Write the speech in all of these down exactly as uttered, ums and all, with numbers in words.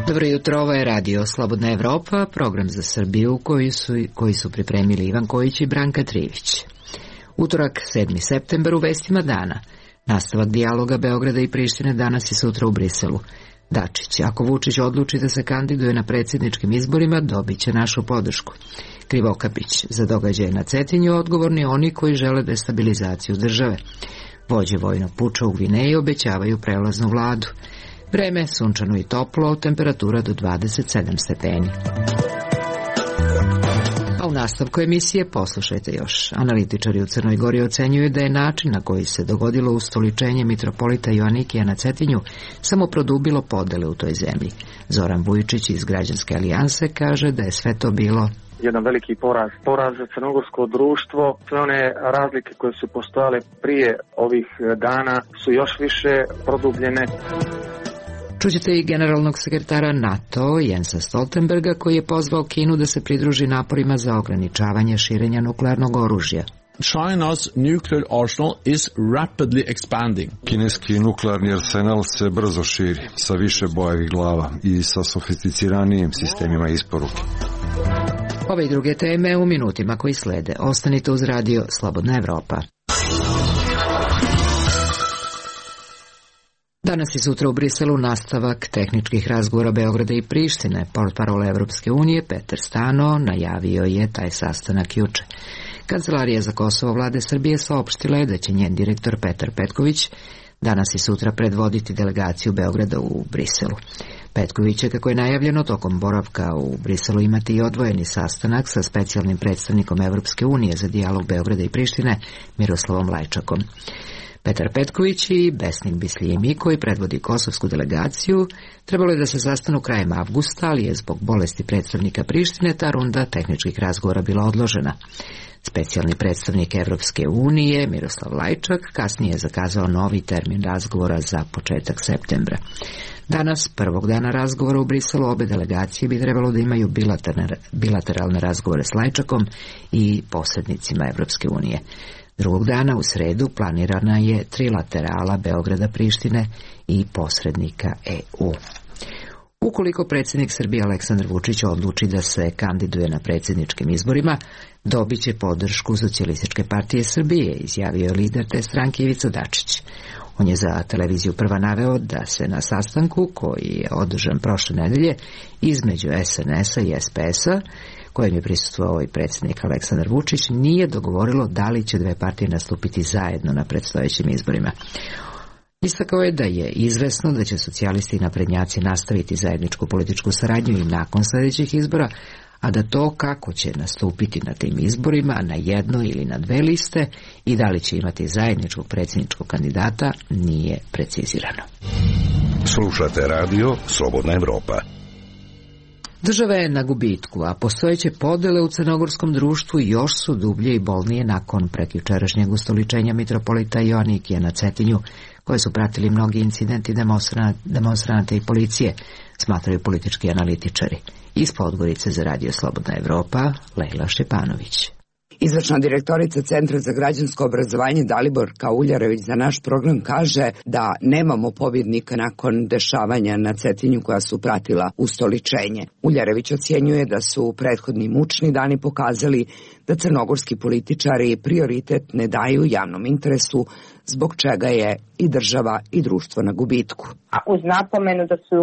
Dobro jutro, ovo je radio Slobodna Evropa, program za Srbiju koji su, koji su pripremili Ivan Kojić i Branka Trivić. Utorak, sedmi septembar, u vestima dana. Nastavak dijaloga Beograda i Prištine danas i sutra u Briselu. Dačić, ako Vučić odluči da se kandiduje na predsjedničkim izborima, dobit će našu podršku. Krivokapić, za događaje na Cetinju odgovorni oni koji žele destabilizaciju države. Vođe vojnog puča u Gvineji obećavaju prelaznu vladu. Vreme sunčano i toplo, temperatura do dvadeset sedam stepeni. A u nastavku emisije poslušajte još. Analitičari u Crnoj Gori ocenjuju da je način na koji se dogodilo ustoličenje mitropolita Joanikija na Cetinju samo produbilo podele u toj zemlji. Zoran Vujičić iz Građanske alijanse kaže da je sve to bilo jedan veliki poraz. Poraz za crnogorsko društvo. Sve one razlike koje su postojale prije ovih dana su još više produbljene. Čućete i generalnog sekretara NATO Jensa Stoltenberga koji je pozvao Kinu da se pridruži naporima za ograničavanje širenja nuklearnog oružja. China's nuclear arsenal is rapidly expanding. Kineski nuklearni arsenal se brzo širi sa više bojevih glava i sa sofisticiranijim sistemima isporuke. Ove i druge teme u minutima koji slede. Ostanite uz radio Slobodna Evropa. Danas i sutra u Briselu nastavak tehničkih razgovora Beograda i Prištine. Portparol Evropske unije Petar Stano najavio je taj sastanak juče. Kancelarija za Kosovo vlade Srbije saopštila je da će njen direktor Petar Petković danas i sutra predvoditi delegaciju Beograda u Briselu. Petković će, kako je najavljeno, tokom boravka u Briselu imati i odvojeni sastanak sa specijalnim predstavnikom Evropske unije za dijalog Beograda i Prištine Miroslavom Lajčakom. Petar Petković i Besnik Bisljimi, koji predvodi kosovsku delegaciju, trebalo je da se sastanu krajem avgusta, ali je zbog bolesti predstavnika Prištine ta runda tehničkih razgovora bila odložena. Specijalni predstavnik Evropske unije, Miroslav Lajčak, kasnije je zakazao novi termin razgovora za početak septembra. Danas, prvog dana razgovora u Briselu, obe delegacije bi trebalo da imaju bilateralne razgovore s Lajčakom i posrednicima Evropske unije. Drugog dana, u sredu, planirana je trilaterala Beograda, Prištine i posrednika E U. Ukoliko predsjednik Srbije Aleksandar Vučić odluči da se kandiduje na predsjedničkim izborima, dobit će podršku Socijalističke partije Srbije, izjavio je lider te stranke Ivica Dačić. On je za televiziju Prva naveo da se na sastanku, koji je održan prošle nedelje između S N S-a i S P S-a, kojem je prisustvovao i predsjednik Aleksandar Vučić, nije dogovorilo da li će dve partije nastupiti zajedno na predstojećim izborima. Istakao je da je izvesno da će socijalisti i naprednjaci nastaviti zajedničku političku saradnju i nakon sljedećih izbora, a da to kako će nastupiti na tim izborima, na jedno ili na dve liste i da li će imati zajedničkog predsjedničkog kandidata, nije precizirano. Slušate radio Slobodna Evropa. Država je na gubitku, a postojeće podele u crnogorskom društvu još su dublje i bolnije nakon prekjučerašnjeg ustoličenja mitropolita Joanikija na Cetinju, koje su pratili mnogi incidenti demonstranata i policije, smatraju politički analitičari. Iz Podgorice za radio Slobodna Evropa, Lejla Šćepanović. Izvršna direktorica Centra za građansko obrazovanje Daliborka Uljarević za naš program kaže da nemamo pobjednika nakon dešavanja na Cetinju koja su pratila ustoličenje. Uljarević ocjenjuje da su prethodni mučni dani pokazali da crnogorski političari prioritet ne daju javnom interesu, zbog čega je i država i društvo na gubitku. A uz napomenu da su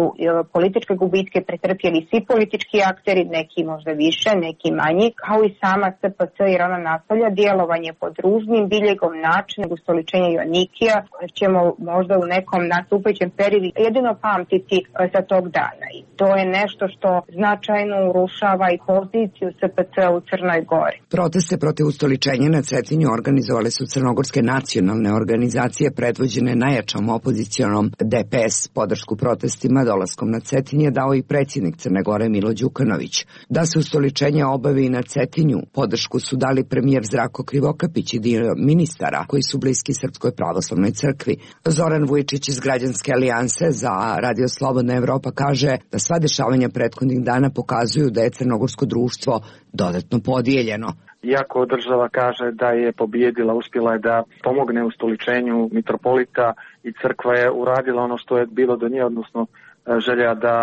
političke gubitke pretrpjeli svi politički akteri, neki možda više, neki manji, kao i sama S P C, jer ona nastavlja djelovanje pod ružnim biljegom načina ustoličenja Joanikija, koje ćemo možda u nekom nastupajućem periodu jedino pamtiti za tog dana. I to je nešto što značajno urušava i poziciju S P C u Crnoj Gori. Proteste protiv ustoličenja na Cetinju organizovale su crnogorske nacionalne organizacije predvođene najjačom opozicionom D P S. Podršku protestima dolaskom na Cetinje dao i predsjednik Crne Gore Milo Đukanović. Da se ustoličenje obavi na Cetinju, podršku su dali premijer Zdravko Krivokapić i dio ministara koji su bliski Srpskoj pravoslavnoj crkvi. Zoran Vujičić iz Građanske alijanse za radio Slobodna Evropa kaže da sva dešavanja prethodnih dana pokazuju da je crnogorsko društvo dodatno podijeljeno. iako država kaže da je pobijedila, uspjela je da pomogne ustoličenju mitropolita i crkva je uradila ono što je bilo do nje, odnosno želja da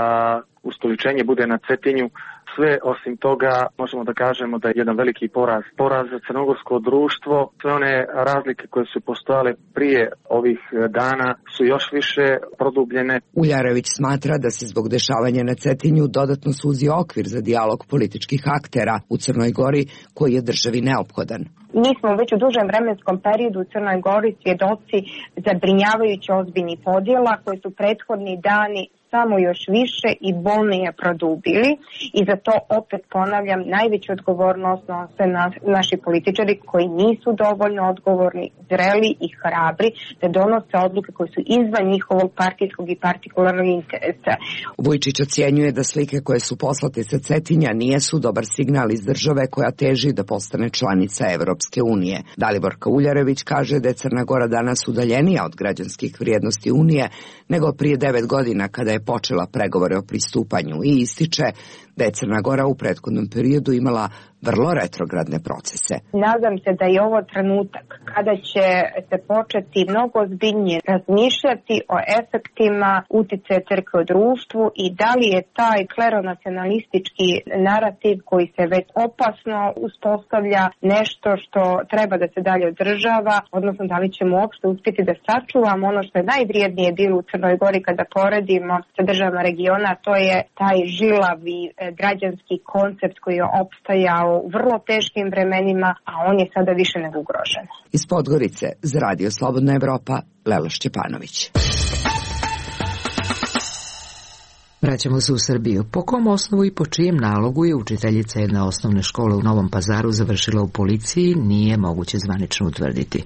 ustoličenje bude na Cetinju. Sve osim toga možemo da kažemo da je jedan veliki poraz. Poraz za crnogorsko društvo, sve one razlike koje su postojale prije ovih dana su još više produbljene. Uljarević smatra da se zbog dešavanja na Cetinju dodatno suzi okvir za dijalog političkih aktera u Crnoj Gori koji je državi neophodan. Mi smo već u dužem vremenskom periodu u Crnoj Gori svjedoci zabrinjavajuće ozbiljnih podjela koje su prethodni dani samo još više i bolnije produbili i za to opet ponavljam najveću odgovornost nose na, naši političari koji nisu dovoljno odgovorni, zreli i hrabri da donose odluke koje su izvan njihovog partijskog i partikularnog interesa. Vujčić ocjenjuje da slike koje su poslate sa Cetinja nijesu dobar signal iz države koja teži da postane članica Evropske unije. Daliborka Uljarević kaže da je Crna Gora danas udaljenija od građanskih vrijednosti Unije nego prije devet godina kada je počela pregovore o pristupanju i ističe da je Crna Gora u prethodnom periodu imala vrlo retrogradne procese. Nadam se da je ovo trenutak kada će se početi mnogo ozbiljnije razmišljati o efektima uticaja crkve u društvu i da li je taj kleronacionalistički narativ koji se već opasno uspostavlja nešto što treba da se dalje održava, odnosno da li ćemo uopšte uspjeti da sačuvamo ono što je najvrijednije bilo u Crnoj Gori kada poredimo sa državama regiona, to je taj žilavi građanski koncept koji je opstajao u vrlo teškim vremenima, a on je sada više nego ugrožen. Iz Podgorice za Radio Slobodna Evropa, Lela Šćepanović. Vraćamo se u Srbiju. Po kom osnovu i po čijem nalogu je učiteljica jedne osnovne škole u Novom Pazaru završila u policiji, nije moguće zvanično utvrditi.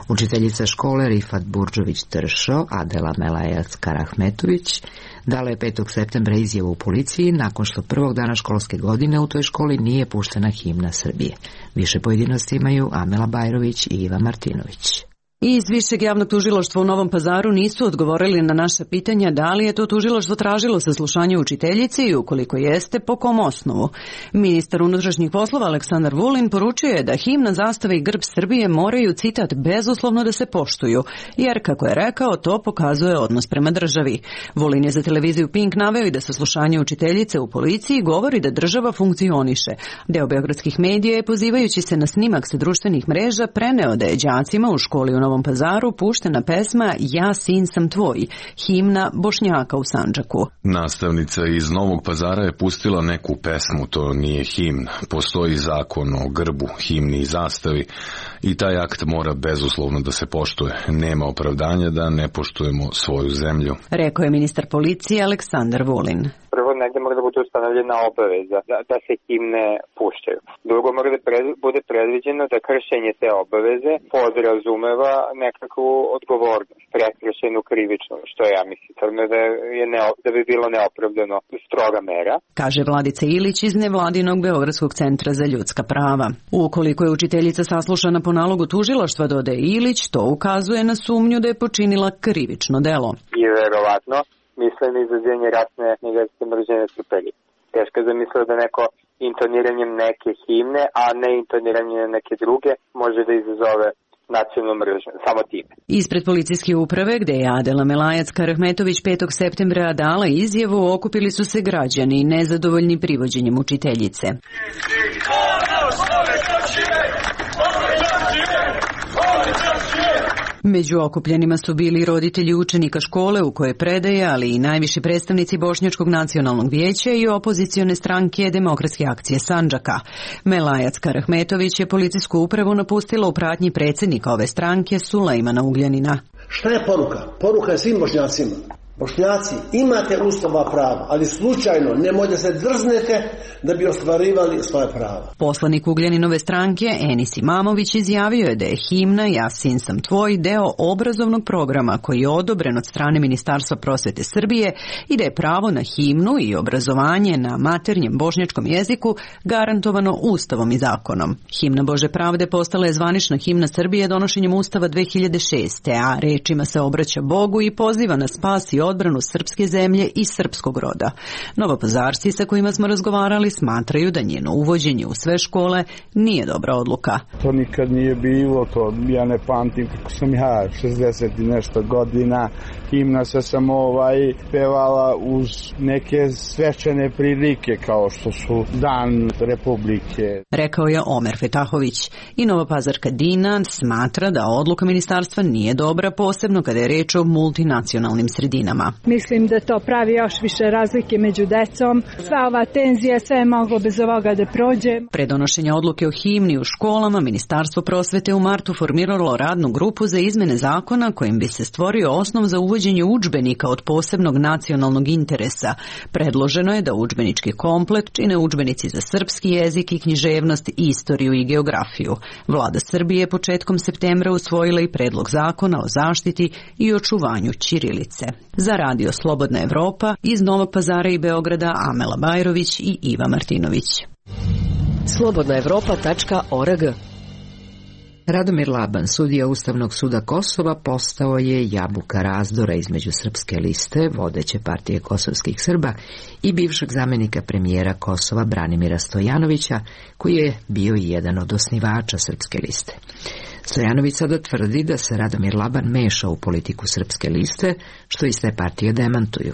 Učiteljica škole Rifat Burdžović-Tršo, Adela Melajac-Karahmetović, dala je petog septembra izjavu u policiji nakon što prvog dana školske godine u toj školi nije puštena himna Srbije. Više pojedinosti imaju Amela Bajrović i Iva Martinović. Iz Višeg javnog tužilaštva u Novom Pazaru nisu odgovorili na naša pitanja da li je to tužilaštvo tražilo saslušanje učiteljici i ukoliko jeste, po kom osnovu. Ministar unutrašnjih poslova Aleksandar Vulin poručio je da himna, zastava i grb Srbije moraju, citat, bezuslovno da se poštuju, jer, kako je rekao, to pokazuje odnos prema državi. Vulin je za televiziju Pink naveo i da saslušanje učiteljice u policiji govori da država funkcioniše. Deo beogradskih medija je, pozivajući se na snimak sa društvenih mreža, preneo da je đacima u školi u Novom Pazaru puštena pesma Ja sin sam tvoj, himna Bošnjaka u Sandžaku. Nastavnica iz Novog Pazara je pustila neku pesmu, to nije himna. Postoji zakon o grbu, himni i zastavi i taj akt mora bezuslovno da se poštuje. Nema opravdanja da ne poštujemo svoju zemlju, rekao je ministar policije Aleksandar Vulin. Prvo, negdje mora da bude ustanovljena obaveza da, da se himne puštaju. Drugo, mora da pred, bude predviđeno da kršenje te obaveze podrazumeva nekakvu odgovornost, prekršenu krivičnu, što ja mislim da, je ne, da bi bilo neopravdano stroga mera. Kaže Vladica Ilić iz nevladinog Beogradskog centra za ljudska prava. Ukoliko je učiteljica saslušana po nalogu tužilaštva, dodaje Ilić, to ukazuje na sumnju da je počinila krivično delo. I verovatno misle na izazivanje rasne neverske mržnje na trpelji. Teško je zamisliti da neko intoniranjem neke himne, a ne intoniranjem neke druge, može da izazove nacionalnu mržnju, samo time. Ispred policijske uprave, gde je Adela Melajac-Karahmetović petog septembra dala izjavu, okupili su se građani nezadovoljni privođenjem učiteljice. Među okupljenima su bili roditelji učenika škole u kojoj predaje, ali i najviši predstavnici Bošnjačkog nacionalnog vijeća i opozicione stranke Demokratske akcije Sandžaka. Melajac Karahmetović je policijsku upravu napustila u pratnji predsjednika ove stranke Sulejmana Ugljanina. Šta je poruka? Poruka je svim Bošnjacima. Bošnjaci, imate ustavna prava, ali slučajno nemojte se drznete da bi ostvarivali svoje prava. Poslanik Ugljaninove stranke Enis Imamović izjavio je da je himna Ja sin sam tvoj deo obrazovnog programa koji je odobren od strane Ministarstva prosvete Srbije i da je pravo na himnu i obrazovanje na maternjem bošnjačkom jeziku garantovano Ustavom i zakonom. Himna Bože pravde postala je zvanična himna Srbije donošenjem Ustava dve hiljade šeste. a rečima se obraća Bogu i poziva na spas i odbranu srpske zemlje i srpskog roda. Novopazarci sa kojima smo razgovarali smatraju da njeno uvođenje u sve škole nije dobra odluka. To nikad nije bilo, to ja ne pamtim kako sam ja šezdeset i nešto godina. Himna se samo ovaj pevala uz neke svečane prilike kao što su Dan Republike. Rekao je Omer Fetahović. I Novopazarka Dina smatra da odluka ministarstva nije dobra, posebno kada je reč o multinacionalnim sredinama. Mislim da to pravi još više razlike među decom. Sva ova tenzija, sve je moglo bez ovoga da prođe. Pre donošenja odluke o himni u školama, Ministarstvo prosvete u martu formiralo radnu grupu za izmene zakona kojim bi se stvorio osnov za uvođenje udžbenika od posebnog nacionalnog interesa. Predloženo je da udžbenički komplet čine udžbenici za srpski jezik i književnost, istoriju i geografiju. Vlada Srbije je početkom septembra usvojila i predlog zakona o zaštiti i očuvanju ćirilice. Za Radio Slobodna Evropa iz Novog Pazara i Beograda Amela Bajrović i Iva Martinović. slobodna evropa tačka org. Radomir Laban, sudija Ustavnog suda Kosova, postao je jabuka razdora između Srpske liste, vodeće partije kosovskih Srba, i bivšeg zamenika premijera Kosova Branimira Stojanovića, koji je bio i jedan od osnivača Srpske liste. Stojanović sada tvrdi da se Radomir Laban meša u politiku Srpske liste, što iz te partije demantuju.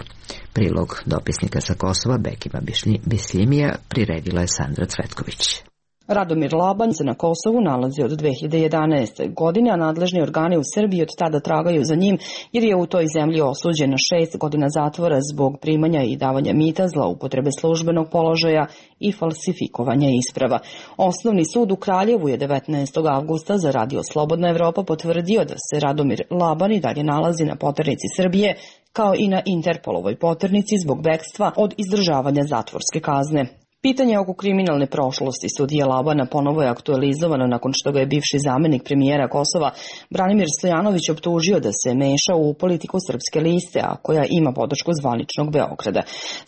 Prilog dopisnika sa Kosova Bekima Bisljimija priredila je Sandra Cvetković. Radomir Laban se na Kosovu nalazi od dve hiljade jedanaeste. godine, a nadležni organi u Srbiji od tada tragaju za njim jer je u toj zemlji osuđen na šest godina zatvora zbog primanja i davanja mita, zloupotrebe službenog položaja i falsifikovanja isprava. Osnovni sud u Kraljevu je devetnaestog avgusta za Radio Slobodna Evropa potvrdio da se Radomir Laban i dalje nalazi na poternici Srbije, kao i na Interpolovoj poternici zbog bekstva od izdržavanja zatvorske kazne. Pitanje oko kriminalne prošlosti sudije Labana ponovo je aktualizovano nakon što ga je bivši zamenik premijera Kosova Branimir Stojanović optužio da se meša u politiku Srpske liste, a koja ima podršku zvaničnog Beograda.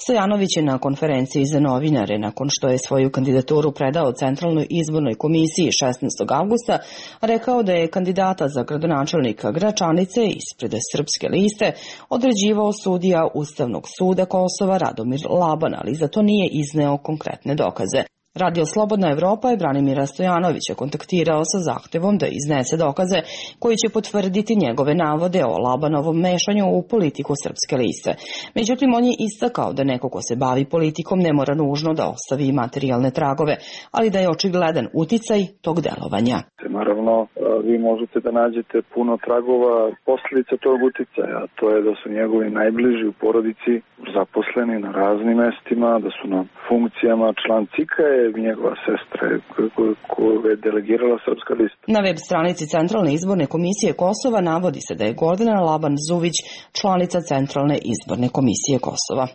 Stojanović je na konferenciji za novinare, nakon što je svoju kandidaturu predao Centralnoj izbornoj komisiji šesnaestog avgusta, rekao da je kandidata za gradonačelnika Gračanice ispred Srpske liste određivao sudija Ustavnog suda Kosova Radomir Laban, ali za to nije izneo konkretne dokaze. Radio Slobodna Evropa je Branimira Stojanovića kontaktirao sa zahtevom da iznese dokaze koji će potvrditi njegove navode o Labanovom mešanju u politiku Srpske liste. Međutim, on je istakao da neko ko se bavi politikom ne mora nužno da ostavi materijalne tragove, ali da je očigledan uticaj tog delovanja. Naravno, vi možete da nađete puno tragova posljedica tog uticaja, a to je da su njegovi najbliži u porodici zaposleni na raznim mestima, da su na funkcijama. Član C I K-a je njegova sestra koju je delegirala Srpska lista. Na web stranici Centralne izborne komisije Kosova navodi se da je Gordana Laban-Zuvić članica Centralne izborne komisije Kosova.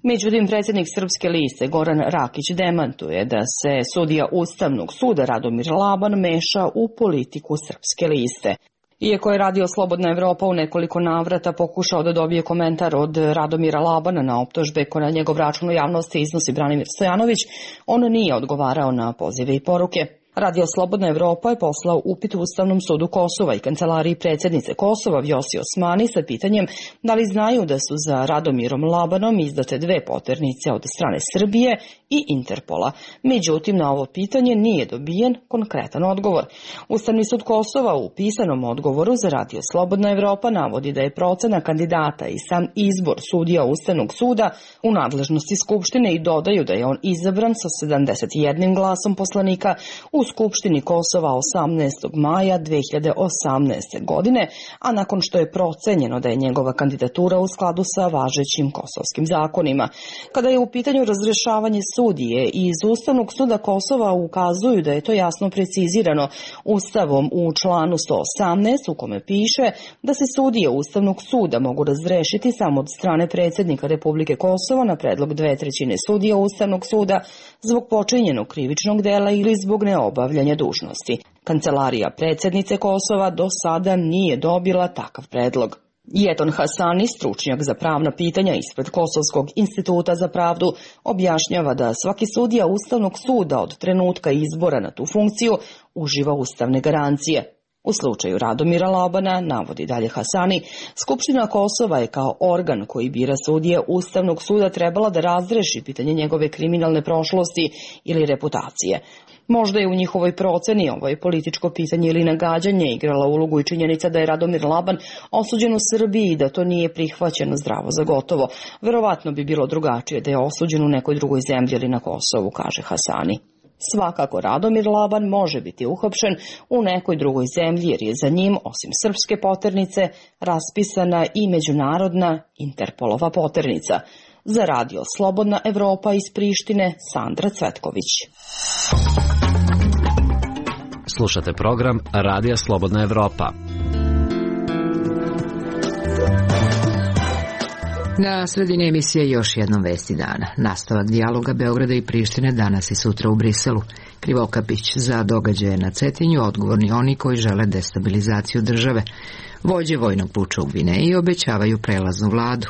Međutim, predsjednik Srpske liste Goran Rakić demantuje da se sudija Ustavnog suda Radomir Laban meša u politiku Srpske liste. Iako je Radio Slobodna Evropa u nekoliko navrata pokušao da dobije komentar od Radomira Labana na optužbe koje na njegov račun u javnosti iznosi Branimir Stojanović, on nije odgovarao na pozive i poruke. Radio Slobodna Evropa je poslao upit u Ustavnom sudu Kosova i kancelariji predsjednice Kosova Vjosi Osmani sa pitanjem da li znaju da su za Radomirom Labanom izdate dve poternice od strane Srbije i Interpola. Međutim, na ovo pitanje nije dobijen konkretan odgovor. Ustavni sud Kosova u pisanom odgovoru za Radio Slobodna Evropa navodi da je procena kandidata i sam izbor sudija Ustavnog suda u nadležnosti Skupštine i dodaju da je on izabran sa sedamdeset jednim glasom poslanika u Skupštini Kosova osamnaestog maja dve hiljade osamnaeste. godine, a nakon što je procenjeno da je njegova kandidatura u skladu sa važećim kosovskim zakonima. Kada je u pitanju razrešavanje sudije, iz Ustavnog suda Kosova ukazuju da je to jasno precizirano Ustavom u članu sto osamnaest, u kome piše da se sudije Ustavnog suda mogu razrešiti samo od strane predsjednika Republike Kosova na predlog dve trećine sudija Ustavnog suda zbog počinjenog krivičnog dela ili zbog neobavljanja dužnosti. Kancelarija predsjednice Kosova do sada nije dobila takav predlog. Jeton Hasani, stručnjak za pravna pitanja ispred Kosovskog instituta za pravdu, objašnjava da svaki sudija Ustavnog suda od trenutka izbora na tu funkciju uživa ustavne garancije. U slučaju Radomira Labana, navodi dalje Hasani, Skupština Kosova je kao organ koji bira sudije Ustavnog suda trebala da razreši pitanje njegove kriminalne prošlosti ili reputacije. Možda je u njihovoj proceni ovo je političko pitanje ili nagađanje igrala ulogu i činjenica da je Radomir Laban osuđen u Srbiji i da to nije prihvaćeno zdravo za gotovo. Verovatno bi bilo drugačije da je osuđen u nekoj drugoj zemlji ili na Kosovu, kaže Hasani. Svakako Radomir Laban može biti uhapšen u nekoj drugoj zemlji jer je za njim, osim srpske poternice, raspisana i međunarodna Interpolova poternica. Za radio Slobodna Evropa iz Prištine, Sandra Cvetković. Slušate program Radija Slobodna Evropa. Na sredini emisije još jednom vesti dana. Nastavak dijaloga Beograda i Prištine danas i sutra u Briselu. Krivokapić: za događaje na Cetinju odgovorni oni koji žele destabilizaciju države. Vođe vojnog puča u Gvineji obećavaju prelaznu vladu.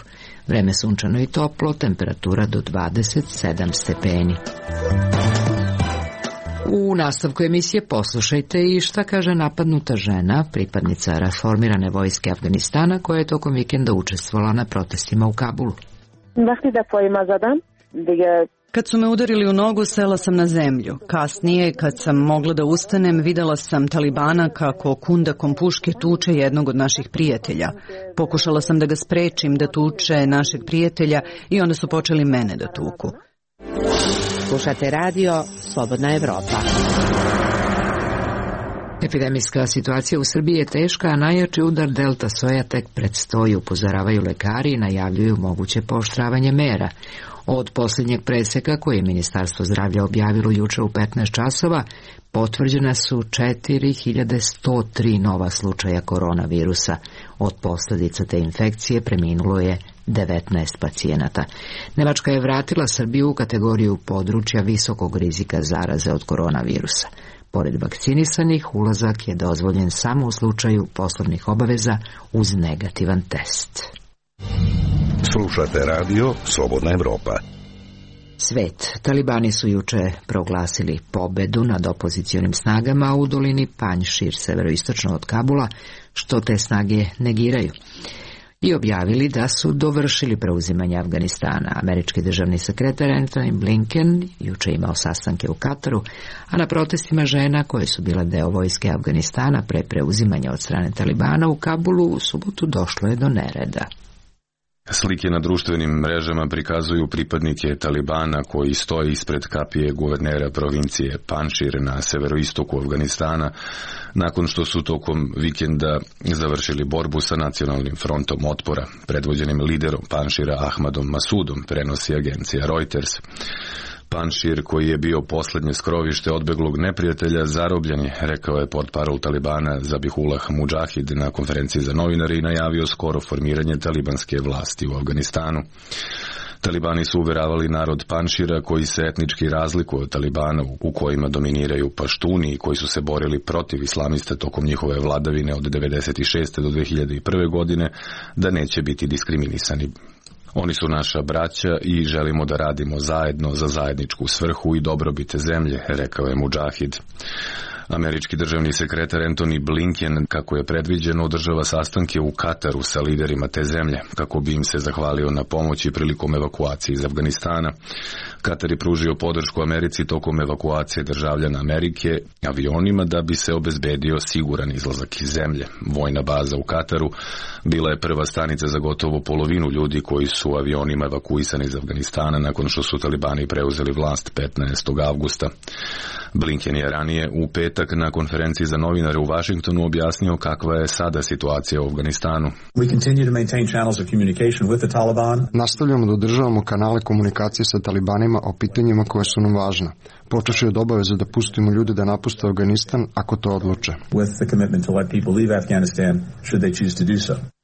Vreme sunčano i toplo, temperatura do dvadeset sedam stepeni. U nastavku emisije poslušajte i šta kaže napadnuta žena, pripadnica reformirane vojske Afganistana, koja je tokom vikenda učestvovala na protestima u Kabulu. Kad su me udarili u nogu, sela sam na zemlju. Kasnije, kad sam mogla da ustanem, videla sam Talibana kako kundakom puške tuče jednog od naših prijatelja. Pokušala sam da ga sprečim da tuče našeg prijatelja i onda su počeli mene da tuku. Slušate radio Slobodna Evropa. Epidemijska situacija u Srbiji je teška, a najjači udar delta soja tek predstoji, upozoravaju lekari i najavljuju moguće pooštravanje mera. Od posljednjeg preseka koje je Ministarstvo zdravlja objavilo juče u petnaest časova, potvrđena su četiri hiljade sto tri nova slučaja koronavirusa. Od posljedica te infekcije preminulo je devetnaest pacijenata. Nemačka je vratila Srbiju u kategoriju područja visokog rizika zaraze od koronavirusa. Pored vakcinisanih, ulazak je dozvoljen samo u slučaju poslovnih obaveza uz negativan test. Slušate radio Slobodna Evropa. Svet. Talibani su juče proglasili pobedu nad opozicionim snagama u dolini Panjšir, severoistočno od Kabula, što te snage negiraju, i objavili da su dovršili preuzimanje Afganistana. Američki državni sekretar Antony Blinken juče imao sastanke u Kataru, a na protestima žena koje su bile deo vojske Afganistana pre preuzimanja od strane Talibana u Kabulu u subotu došlo je do nereda. Slike na društvenim mrežama prikazuju pripadnike Talibana koji stoje ispred kapije guvernera provincije Panjšir na severoistoku Afganistana nakon što su tokom vikenda završili borbu sa nacionalnim frontom otpora, predvođenim liderom Panjšira Ahmadom Masudom, prenosi agencija Reuters. Panjšir, koji je bio posljednje skrovište odbeglog neprijatelja, zarobljen je, rekao je portparol Talibana Zabihullah Mudžahid na konferenciji za novinare i najavio skoro formiranje talibanske vlasti u Afganistanu. Talibani su uveravali narod Panjšira, koji se etnički razlikuje od Talibana, u kojima dominiraju paštuni i koji su se borili protiv islamista tokom njihove vladavine od devedeset šeste do dve hiljade prve godine, da neće biti diskriminisani. Oni su naša braća i želimo da radimo zajedno za zajedničku svrhu i dobrobit zemlje, rekao je Mudžahid. Američki državni sekretar Antony Blinken, kako je predviđeno, održava sastanke u Kataru sa liderima te zemlje, kako bi im se zahvalio na pomoći prilikom evakuacije iz Afganistana. Katar je pružio podršku Americi tokom evakuacije državljana Amerike avionima da bi se obezbedio siguran izlazak iz zemlje. Vojna baza u Kataru bila je prva stanica za gotovo polovinu ljudi koji su avionima evakuisani iz Afganistana nakon što su Talibani preuzeli vlast petnaestog avgusta. Blinken je ranije u petak na konferenciji za novinare u Vašingtonu objasnio kakva je sada situacija u Afganistanu. Nastavljamo da održavamo kanale komunikacije sa Talibanima o pitanjima koje su nam važna, počevši od obaveze da pustimo ljude da napuste Afganistan ako to odluče.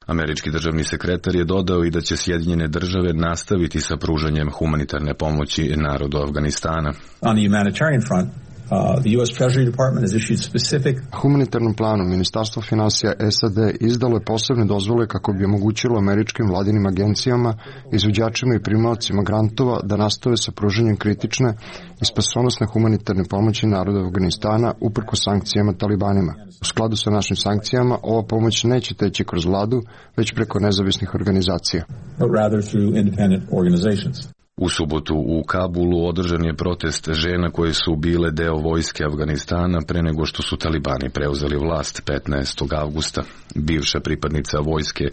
Američki državni sekretar je dodao i da će Sjedinjene države nastaviti sa pružanjem humanitarne pomoći narodu Afganistana. On the humanitarian front, Uh, the U S Treasury Department has issued specific... Humanitarnom planu Ministarstvo finansija S A D izdalo je posebne dozvole kako bi omogućilo američkim vladinim agencijama, izvođačima i primaocima grantova da nastave sa pružanjem kritične i spasonosne humanitarne pomoći narodu Afganistana uprkos sankcijama talibanima. U skladu sa našim sankcijama, ova pomoć neće teći kroz vladu, već preko nezavisnih organizacija. But rather through independent organizations. U subotu u Kabulu održan je protest žena koje su bile deo vojske Afganistana pre nego što su talibani preuzeli vlast petnaestog avgusta. Bivša pripadnica vojske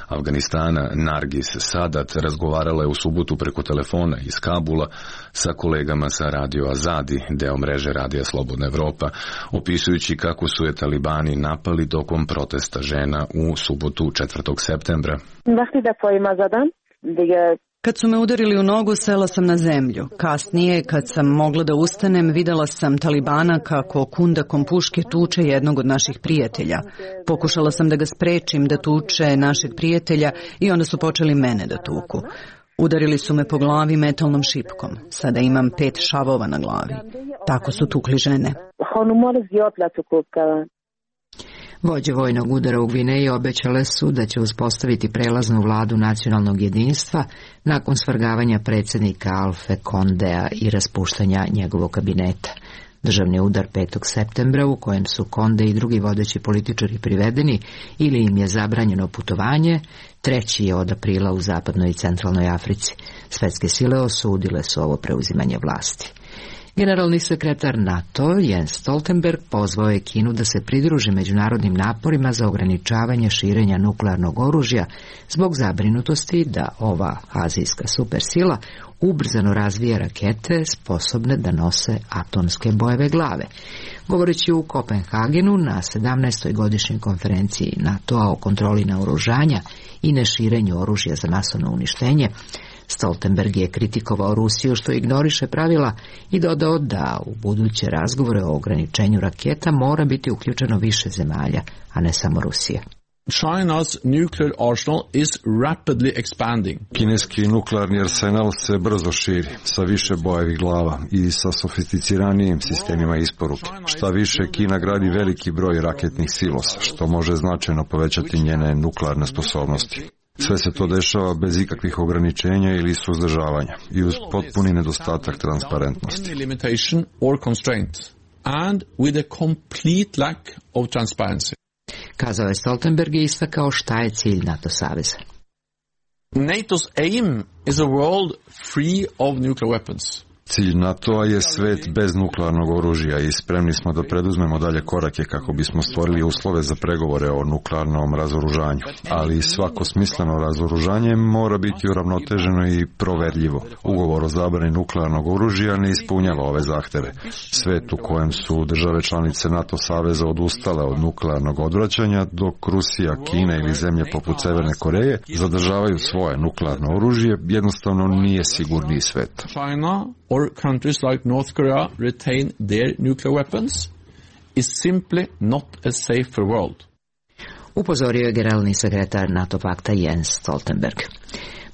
Afganistana Nargis Sadat razgovarala je u subotu preko telefona iz Kabula sa kolegama sa Radio Azadi, deo mreže Radija Slobodna Evropa, opisujući kako su je talibani napali tokom protesta žena u subotu četvrtog septembra. Kad su me udarili u nogu, sela sam na zemlju. Kasnije, kad sam mogla da ustanem, videla sam talibana kako kundakom puške tuče jednog od naših prijatelja. Pokušala sam da ga sprečim da tuče našeg prijatelja i onda su počeli mene da tuku. Udarili su me po glavi metalnom šipkom. Sada imam pet šavova na glavi. Tako su tukli žene. Vođe vojnog udara u Gvineji obećale su da će uspostaviti prelaznu vladu nacionalnog jedinstva nakon svrgavanja predsjednika Alfe Kondea i raspuštanja njegovog kabineta. Državni udar petog septembra u kojem su Konde i drugi vodeći političari privedeni ili im je zabranjeno putovanje, treći je od aprila u zapadnoj i centralnoj Africi. Svetske sile osudile su ovo preuzimanje vlasti. Generalni sekretar NATO Jens Stoltenberg pozvao je Kinu da se pridruži međunarodnim naporima za ograničavanje širenja nuklearnog oružja zbog zabrinutosti da ova azijska supersila ubrzano razvija rakete sposobne da nose atomske bojeve glave. Govoreći u Kopenhagenu na sedamnaestoj godišnjoj konferenciji NATO-a o kontroli naoružanja i neširenju oružja za masovno uništenje, Stoltenberg je kritikovao Rusiju što ignoriše pravila i dodao da u buduće razgovore o ograničenju raketa mora biti uključeno više zemalja, a ne samo Rusija. China's nuclear arsenal is rapidly expanding. Kineski nuklearni arsenal se brzo širi, sa više bojevih glava i sa sofisticiranijim sistemima isporuke. Šta više, Kina gradi veliki broj raketnih silosa, što može značajno povećati njene nuklearne sposobnosti. Sve se to dešava bez ikakvih ograničenja ili suzdržavanja i uz potpuni nedostatak transparentnosti. Kazao je Stoltenberg i istakao šta je cilj NATO saveza. NATO's aim is a world free of nuclear weapons. Cilj NATO-a je svet bez nuklearnog oružja i spremni smo da preduzmemo dalje korake kako bismo stvorili uslove za pregovore o nuklearnom razoružanju. Ali svako smisleno razoružanje mora biti uravnoteženo i proverljivo. Ugovor o zabrani nuklearnog oružja ne ispunjava ove zahteve. Svet u kojem su države članice NATO saveza odustale od nuklearnog odvraćanja, dok Rusija, Kina ili zemlje poput Severne Koreje zadržavaju svoje nuklearno oružje, jednostavno nije sigurniji svet. Or countries like North Korea retain their nuclear weapons is simply not a safer world. Upozorio je generalni sekretar NATO pakta Jens Stoltenberg.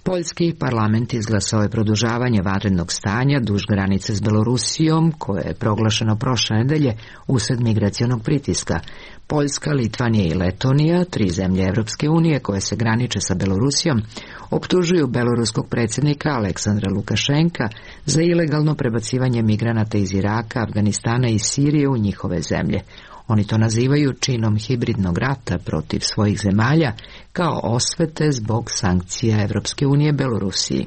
Poljski parlament izglasao je produžavanje vanrednog stanja duž granice s Belorusijom, koje je proglašeno prošle nedelje usred migracionog pritiska. Poljska, Litvanija i Letonija, tri zemlje Evropske unije koje se graniče sa Belorusijom, optužuju beloruskog predsjednika Aleksandra Lukašenka za ilegalno prebacivanje migranata iz Iraka, Afganistana i Sirije u njihove zemlje. Oni to nazivaju činom hibridnog rata protiv svojih zemalja kao osvete zbog sankcija Evropske unije Belorusiji.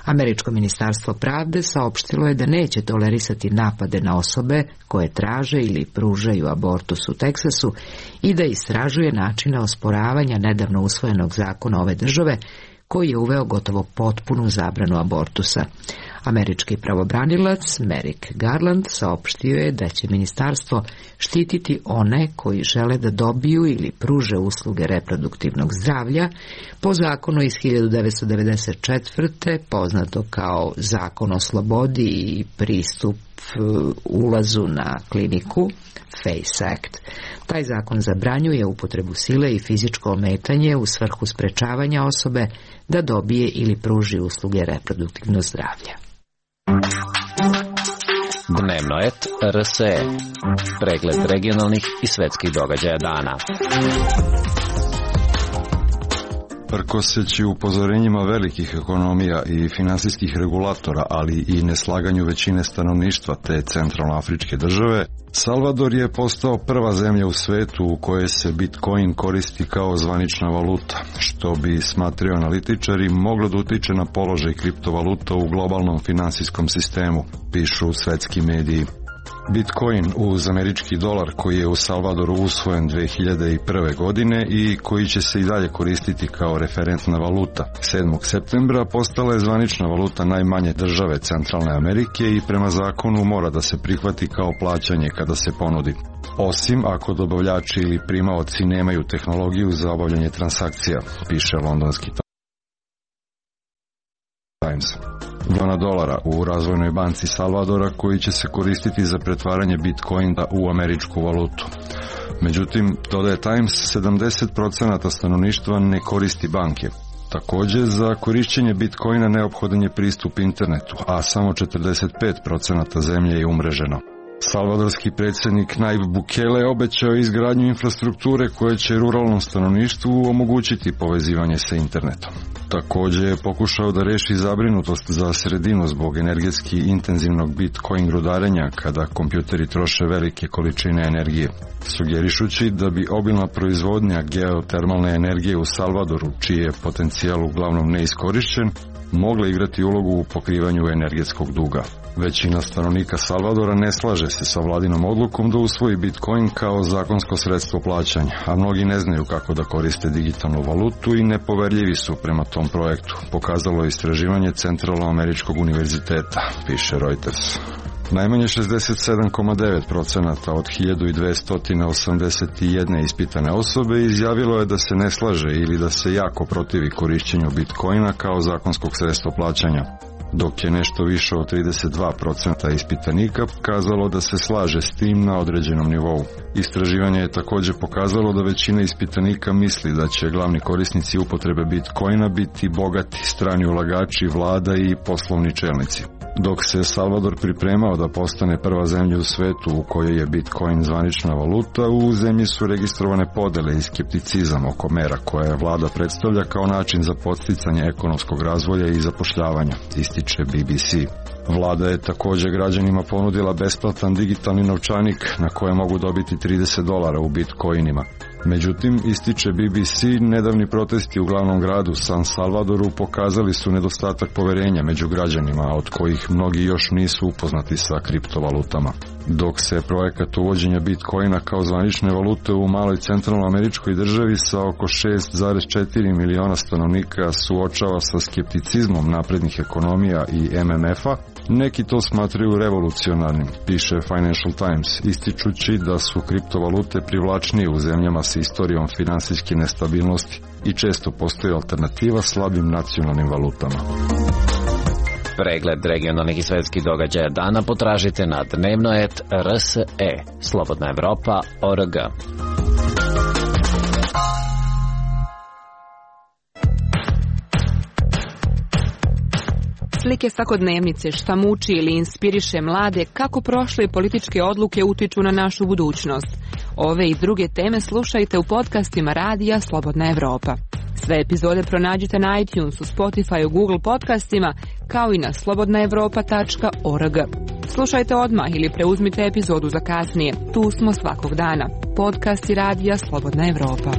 Američko ministarstvo pravde saopštilo je da neće tolerisati napade na osobe koje traže ili pružaju abortus u Teksasu i da istražuje načine osporavanja nedavno usvojenog zakona ove države koji je uveo gotovo potpunu zabranu abortusa. Američki pravobranilac Merrick Garland saopštio je da će ministarstvo štititi one koji žele da dobiju ili pruže usluge reproduktivnog zdravlja po zakonu iz hiljadu devetsto devedeset četvrte poznato kao Zakon o slobodi i pristup ulazu na kliniku, FACE Act. Taj zakon zabranjuje upotrebu sile i fizičko ometanje u svrhu sprečavanja osobe da dobije ili pruži usluge reproduktivnog zdravlja. Dnevno et R S E. Pregled regionalnih i svetskih događaja dana. Prkoseći upozorenjima velikih ekonomija i finansijskih regulatora, ali i neslaganju većine stanovništva te centralnoafričke države, Salvador je postao prva zemlja u svetu u kojoj se Bitcoin koristi kao zvanična valuta, što bi, smatraju analitičari, moglo da utiče na položaj kriptovaluta u globalnom finansijskom sistemu, pišu svetski mediji. Bitcoin uz američki dolar, koji je u Salvadoru usvojen dve hiljade prve. godine i koji će se i dalje koristiti kao referentna valuta, sedmog septembra postala je zvanična valuta najmanje države Centralne Amerike i prema zakonu mora da se prihvati kao plaćanje kada se ponudi, osim ako dobavljači ili primaoci nemaju tehnologiju za obavljanje transakcija, piše londonski Times. Miliona dolara u razvojnoj banci Salvadora koji će se koristiti za pretvaranje Bitcoina u američku valutu. Međutim, dodaje Times, sedamdeset procenata stanovništva ne koristi banke. Također, za korišćenje Bitcoina neophodan je pristup internetu, a samo četrdeset pet procenata zemlje je umreženo. Salvadorski predsjednik Nayib Bukele obećao izgradnju infrastrukture koja će ruralnom stanovništvu omogućiti povezivanje sa internetom. Također je pokušao da reši zabrinutost za sredinu zbog energetski intenzivnog Bitcoin rudarenja kada kompjuteri troše velike količine energije, sugerišući da bi obilna proizvodnja geotermalne energije u Salvadoru, čiji je potencijal uglavnom neiskorišćen, mogla igrati ulogu u pokrivanju energetskog duga. Većina stanovnika Salvadora ne slaže se sa vladinom odlukom da usvoji Bitcoin kao zakonsko sredstvo plaćanja, a mnogi ne znaju kako da koriste digitalnu valutu i nepoverljivi su prema tom projektu, pokazalo je istraživanje Centralnoameričkog univerziteta, piše Reuters. Najmanje šezdeset sedam zarez devet procenata od hiljadu dvesta osamdeset jedna ispitane osobe izjavilo je da se ne slaže ili da se jako protivi korišćenju Bitcoina kao zakonskog sredstva plaćanja, dok je nešto više od trideset dva procenta ispitanika kazalo da se slaže s tim na određenom nivou. Istraživanje je također pokazalo da većina ispitanika misli da će glavni korisnici upotrebe Bitcoina biti bogati strani ulagači, vlada i poslovni čelnici. Dok se Salvador pripremao da postane prva zemlja u svetu u kojoj je Bitcoin zvanična valuta, u zemlji su registrovane podele i skepticizam oko mera koje vlada predstavlja kao način za podsticanje ekonomskog razvoja i zapošljavanja, ističe B B C. Vlada je također građanima ponudila besplatan digitalni novčanik na koje mogu dobiti trideset dolara u bitcoinima. Međutim, ističe B B C, nedavni protesti u glavnom gradu San Salvadoru pokazali su nedostatak poverenja među građanima, od kojih mnogi još nisu upoznati sa kriptovalutama. Dok se projekat uvođenja Bitcoina kao zvanične valute u maloj centralnoameričkoj državi sa oko šest zarez četiri miliona stanovnika suočava sa skepticizmom naprednih ekonomija i M M F-a, neki to smatraju revolucionarnim, piše Financial Times, ističući da su kriptovalute privlačnije u zemljama sa istorijom finansijske nestabilnosti i često postoji alternativa slabim nacionalnim valutama. Pregled regionalnih i svetskih događaja dana potražite na dnevno et R S E, Slobodna Evropa точка о эр джи. Slike svakodnevnice, šta muči ili inspiriše mlade, kako prošle političke odluke utiču na našu budućnost. Ove i druge teme slušajte u podcastima Radija Slobodna Evropa. Sve epizode pronađite na iTunesu, Spotify, Google podcastima, kao i na slobodna evropa точка о эр джи. Slušajte odmah ili preuzmite epizodu za kasnije. Tu smo svakog dana. Podcasti Radija Slobodna Evropa.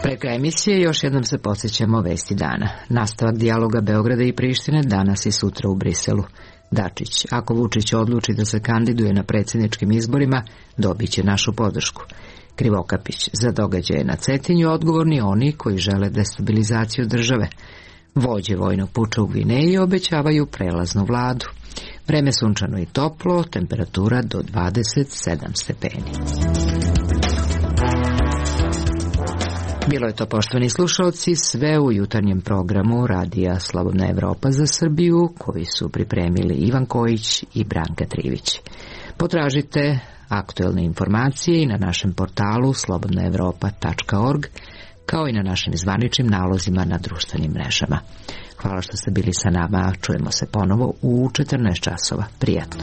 Preko emisije još jednom se podsjećamo vesti dana. Nastavak dijaloga Beograda i Prištine danas i sutra u Briselu. Dačić, ako Vučić odluči da se kandiduje na predsjedničkim izborima, dobit će našu podršku. Krivokapić, za događaje na Cetinju odgovorni oni koji žele destabilizaciju države. Vođe vojnog puča u Gvineji obećavaju prelaznu vladu. Vreme sunčano i toplo, temperatura do dvadeset sedam stepeni. Bilo je to, poštovani slušalci, sve u jutarnjem programu Radija Slobodna Evropa za Srbiju, koji su pripremili Ivan Kojić i Branka Trivić. Potražite Aktuelne informacije i na našem portalu slobodna evropa tačka org, kao i na našim zvaničnim nalozima na društvenim mrežama. Hvala što ste bili sa nama, čujemo se ponovo u četrnaest časova. Prijatno.